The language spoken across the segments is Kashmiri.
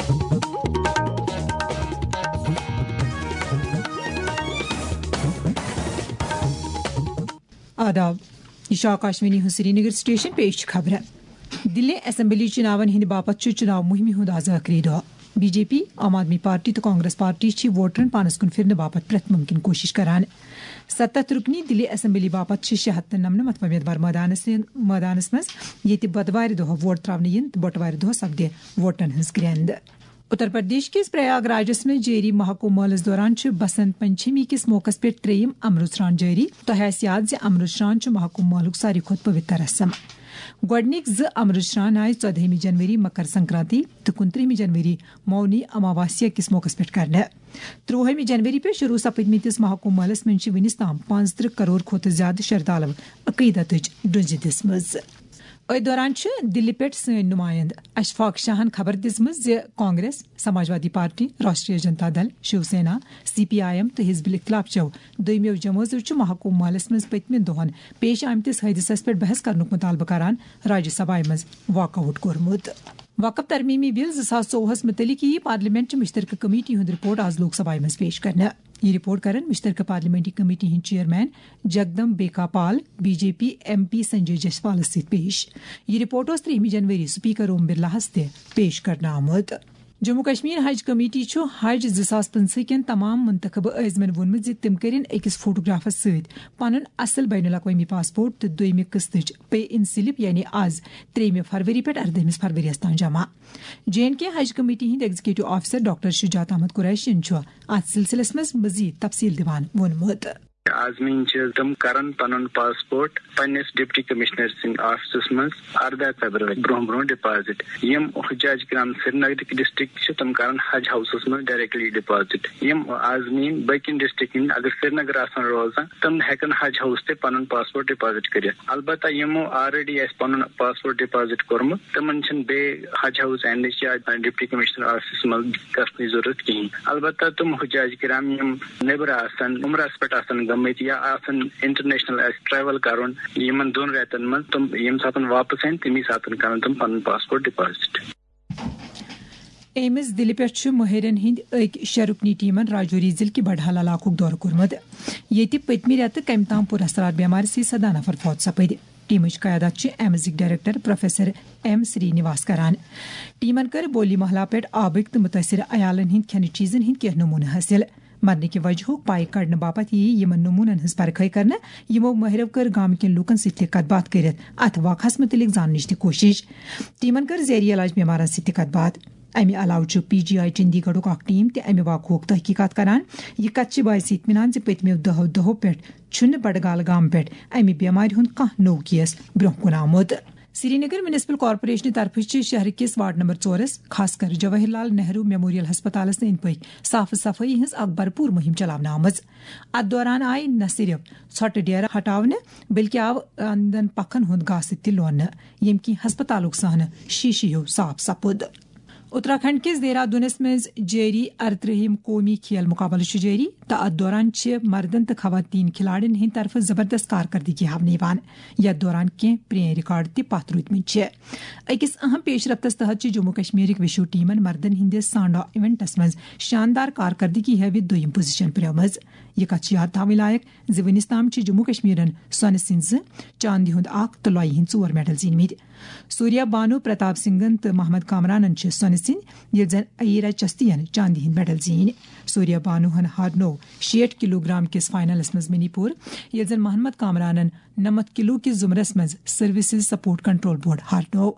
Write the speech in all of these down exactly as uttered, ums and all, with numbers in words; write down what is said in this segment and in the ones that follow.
آداب، یہ چھُ آکاشوانی ہُنٛد سرینگر سٹیشن۔ پیش چھِ خبرٕ۔ دِلہِ اسمبلی چُناون ہٕنٛدِ باپتھ چھُ چُناو مُہِمہِ ہُنٛد آز ٲخری دۄہ۔ بی جے پی، عام آدمی پارٹی تہٕ کانگریس پارٹی چھِ ووٹرن پانس کُن پھِرنہٕ باپتھ پرٛٮ۪تھ مُمکِن کوٗشِش کران۔ ستتھ رُکنی دِلہِ اسمبلی باپتھ چھِ شےٚ ہتھ تہٕ نَمنَمتھ وۄمیدوار مٲدانس، مٲدانس منٛز، ییٚتہِ بۄدوارِ دۄہ ووٹ ترٛاونہٕ یِن تہٕ بٹوارِ دۄہ سپدِ ووٹن ہٕنٛز گرٛٮ۪نٛد۔ اتر پردیش کِس پریاگ راجس منٛز جٲری مہاکُمبھ مٲلس دوران چھُ بسنت پنچمی کِس موقعس پٮ۪ٹھ ترٛیٚیِم امرت سران جٲری۔ تۄہہِ آسہِ یاد زِ امرت سران چھُ مہاکُمبھ مٲلُک ساروی کھۄتہٕ پویتر رسم۔ گۄڈٕنِکۍ زٕ امرت سران آیہِ ژۄدہمہِ جنوری مکر سنکرانتی تہٕ کُنترٛہمہِ جنوری مونی اماواسیا کِس موقعس پٮ۪ٹھ کرنہٕ۔ ترٛوہمہِ جنوری پٮ۪ٹھ شروع سپدمٕتِس مہاکُمبھ مٲلس منٛز چھِ وُنِس تام پانٛژترٕہ کرور کھۄتہٕ زیادٕ شردالو عقیدتٕچ ڈُنجہِ دِژمٕژ۔ أتھۍ دوران چھِ دِلہِ پٮ۪ٹھ سٲنۍ نُمایندٕ اشفاق شاہن خبر دِژمٕژ زِ کانگریس، سماجوادی پارٹی، راشٹریہ جنتا دل، Shiv Sena, C P I am تہٕ حزب الاختلاف چٮ۪و دوٚیمٮ۪و جمٲژو چھُ مہاکُمبھ مٲلس منٛز پٔتمٮ۪ن دۄہن پیش آمتِس حٲدثس پٮ۪ٹھ بحث کرنُک مطالبہٕ کران راجیہ سبھایہ منٛز واک آؤٹ کوٚرمُت۔ وقف ترمیمی بل زٕ ساس ژوٚوُہس مُتعلق یِیہِ پارلیمنٹ چہِ مشترکہ کمیٹی ہُنٛد رپورٹ آز لوک سبھایہ منٛز پیش کرنہٕ۔ یہِ رپورٹ کرن مشترکہ پارلیمنٹری کمیٹی ہٕنٛدۍ chairman Jagdambika Pal, B J P M P Sanjay جسپالس سۭتۍ پیش۔ یہِ رپورٹ اوس ترٛیٚیِمہِ جنوری سپیکر اوم برلاہس تہِ پیش کرنہٕ آمُت۔ جموں کشمیر حج کمیٹی چھُ حج زٕ ساس پٕنٛژٕہ کٮ۪ن تمام منتخبہٕ عٲزمن ووٚنمُت زِ تِم کٔرِن أکِس فوٹوگرافس سۭتۍ پنُن اصل بین الاقوٲمی پاسپورٹ تہٕ دوٚیمہِ قسطٕچ پے ان سلپ، یعنی از ترٛیٚیِمہِ فروری پٮ۪ٹھ اردٲہمِس فروریَس تام جمع۔ جے اینڈ کے حج کمیٹی ہٕنٛدۍ ایگزیکٹو آفیسر ڈاکٹر شجاعت احمد قریشین چھُ اتھ سلسلس منٛز مزید تفصیل دِوان ووٚنمُت۔ عازمین چھِ تِم کرن پنُن پاسپورٹ پننِس ڈپٹی کمشنر سٕنٛدِ آفسس منٛز ارداہ فیبرؤری برونٛہہ برونٛہہ ڈپازٹ۔ یِم حجاج کرام سرینگرٕکۍ ڈسٹرکٹ چھِ، تِم کرن حج ہاؤسس منٛز ڈائریکٹلی ڈپازٹ۔ یِم عازمین باقین ڈسٹرکٹن ہٕنٛدۍ اگر سرینگر آسن روزان، تِم ہیٚکن حج ہاؤس تہِ پنُن پاسپورٹ ڈپازٹ کٔرِتھ۔ البتہ یِمو آلریڈی آسہِ پنُن پاسپورٹ ڈپازٹ کوٚرمُت، تِمن چھِنہٕ بیٚیہِ حج ہاؤس اینڈٕچ یا ڈپٹی کمشنر آفسس منٛز گژھنٕچ ضروٗرت کِہیٖنۍ۔ البتہ تِم حجاج کرام یِم نیٚبرٕ آسن، عمرس پٮ۪ٹھ آسن گٔمٕتۍ یا آسن انٹرنیشنل آسہِ ٹریول کرُن یِمن دۄن رٮ۪تن منٛز، تِم ییٚمہِ ساتہٕ واپس یِن، تمی ساتہٕ کرن تِم پنُن پاسپورٹ ڈپازٹ۔ ایمز دِلہِ پٮ۪ٹھ چھُ مٲہِرن ہٕنٛدۍ أکۍ شےٚ رُکنی ٹیمن راجوری ضلعہٕ کہِ بڈہال علاقُک دورٕ کوٚرمُت، ییٚتہِ پٔتمہِ رٮ۪تہٕ کمہِ تام پُر اثرات بٮ۪مارِ سۭتۍ سداہ نفر فوت سپٕدۍ۔ ٹیمٕچ قیادت چھِ ایمزٕکۍ ڈائریکٹر پروفیسر ایم سری نواس کران۔ ٹیمن کٔر بولی محلہ پٮ۪ٹھ آبٕکۍ تہٕ مُتٲثِر عیالن ہٕنٛدۍ کھٮ۪نہٕ چیٖزن ہٕنٛدۍ کینٛہہ نموٗنہٕ حٲصِل۔ مرنہٕ کہِ وجہُک پاے کڑنہٕ باپتھ یِیہِ یِمن نموٗنن ہٕنٛز پرکھٲے کرنہٕ۔ یِمو مٲہرو کٔر گامہٕ کٮ۪ن لوٗکن سۭتۍ تہِ کتھ باتھ کٔرِتھ اتھ واقعس مُتعلق زاننٕچ تہِ کوٗشِش۔ ٹیمن کٔر زیر علاج بٮ۪مارن سۭتۍ تہِ کتھ باتھ۔ امہِ علاوٕ چھُ پی جی آئی چندی گڑھُک اکھ ٹیم تہِ امہِ واقعُک تحقیقات کران۔ یہِ کتھ چھِ باعث اطمینان زِ پٔتمیو دہو دۄہو پٮ۪ٹھ چھُنہٕ بڈگال گامہٕ پٮ۪ٹھ امہِ بٮ۪مارِ ہُنٛد کانٛہہ نوٚو کیس برونٛہہ کُن آمُت۔ سرینگر میونسپل کارپوریشنہٕ طرفہٕ چھِ شہر کِس وارڈ نمبر ژورس، خاص کر جواہر لال نہروٗ میموریل ہسپتالس أنٛدۍ پٔکۍ صاف صفٲیی ہٕنٛز اکھ بھرپوٗر مُہِم چلاونہٕ آمٕژ۔ اتھ دوران آیہِ نہ صرف ژھۄٹہٕ ڈیرٕ ہٹاونہٕ، بلکہِ آو اندن پکھن ہُنٛد گاسہٕ تہِ لوننہٕ، ییٚمہِ کِنۍ ہسپتالُک صحنہٕ شیٖشہٕ ہیوٗ صاف سپُد۔ اتراکھنڈ کِس دہرادوٗنس منٛز جٲری ارترٛہِم قومی کھیل مقابلہٕ چھُ جٲری تہٕ اتھ دوران چھِ مردن تہٕ خواتین کھلاڑین ہٕنٛدِ طرفہٕ زبردست کارکردگی ہاونہٕ یِوان، یتھ دوران کینٛہہ پرٛٲنۍ ریکارڈ تہِ پتھ روٗدمٕتۍ چھِ۔ أکِس اہم پیش رفتس تحت چھِ جموں کشمیرٕکۍ وِشو ٹیمن مردن ہٕنٛدِس سانڈا ایونٹس منٛز شاندار کارکردگی ہٲوِتھ دوٚیِم پوزیشن پرٛٲومٕژ۔ یہِ کتھ چھِ یاد تھاوٕنۍ لایق زِ وُنِس تام چھِ جموں کشمیرن سۄنہٕ سٕنٛدۍ زٕ، چاندِ ہُنٛد اکھ تہٕ لۄیہِ ہٕنٛدۍ ژور میڈل زیٖنمٕتۍ۔ سوریا بانو پرتاپ سنگھن تہٕ محمد کامرانن چھِ سۄنہٕ سٕنٛدۍ، ییٚلہِ زن ایرا چستین چاندِ ہٕنٛدۍ میڈل زیٖنۍ۔ سوریا بانوہن ہارنوو شیٹھ کلو گرام کِس فائنلس منٛز منی پور، ییٚلہِ زن محمد کامرانن نَمَتھ کلو کِس زمرس منٛز سروسز سپورٹ کنٹرول بورڈ ہارنوو۔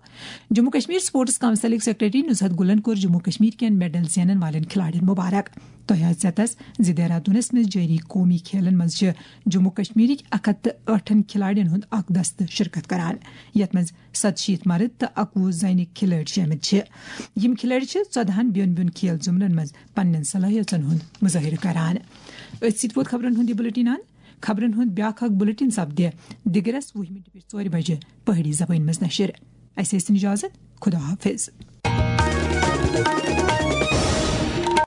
جموں کشمیر سپورٹس کونسلٕکۍ سیکرٹری نزہت گلن کوٚر جموں کشمیر کٮ۪ن میڈل زینن والٮ۪ن کھلاڑین مبارک۔ تۄہہِ آسہِ ژیتس زِ دہرادوٗنس منٛز جٲری قومی کھیلن منٛز چھِ جموں کشمیرٕکۍ اکھ ہتھ تہٕ ٲٹھن کھلاڑین ہُنٛد اکھ دستہٕ شرکت کران، یتھ منٛز ستشیٖتھ مرد تہٕ اکوُہ زنہِ کھلٲڑۍ شٲمِل چھِ۔ یِم کھلٲڑۍ چھِ ژۄدہن بیوٚن بیوٚن کھیل زمرن منٛز پننٮ۪ن صلٲحیژن ہُنٛد مظٲہرٕ کران۔ أتھۍ سۭتۍ ووت خبرن ہُنٛد یہِ بلیٹن۔ خبرن ہُنٛد بیٛاکھ اکھ بلیٹن سپدِ دِگرس وُہہِ مِنٹہِ پٮ۪ٹھ ژورِ بجہِ پہٲڑی زبٲنۍ منٛز نشر۔ اسہِ ٲسِن اجازت۔ خدا حافظ۔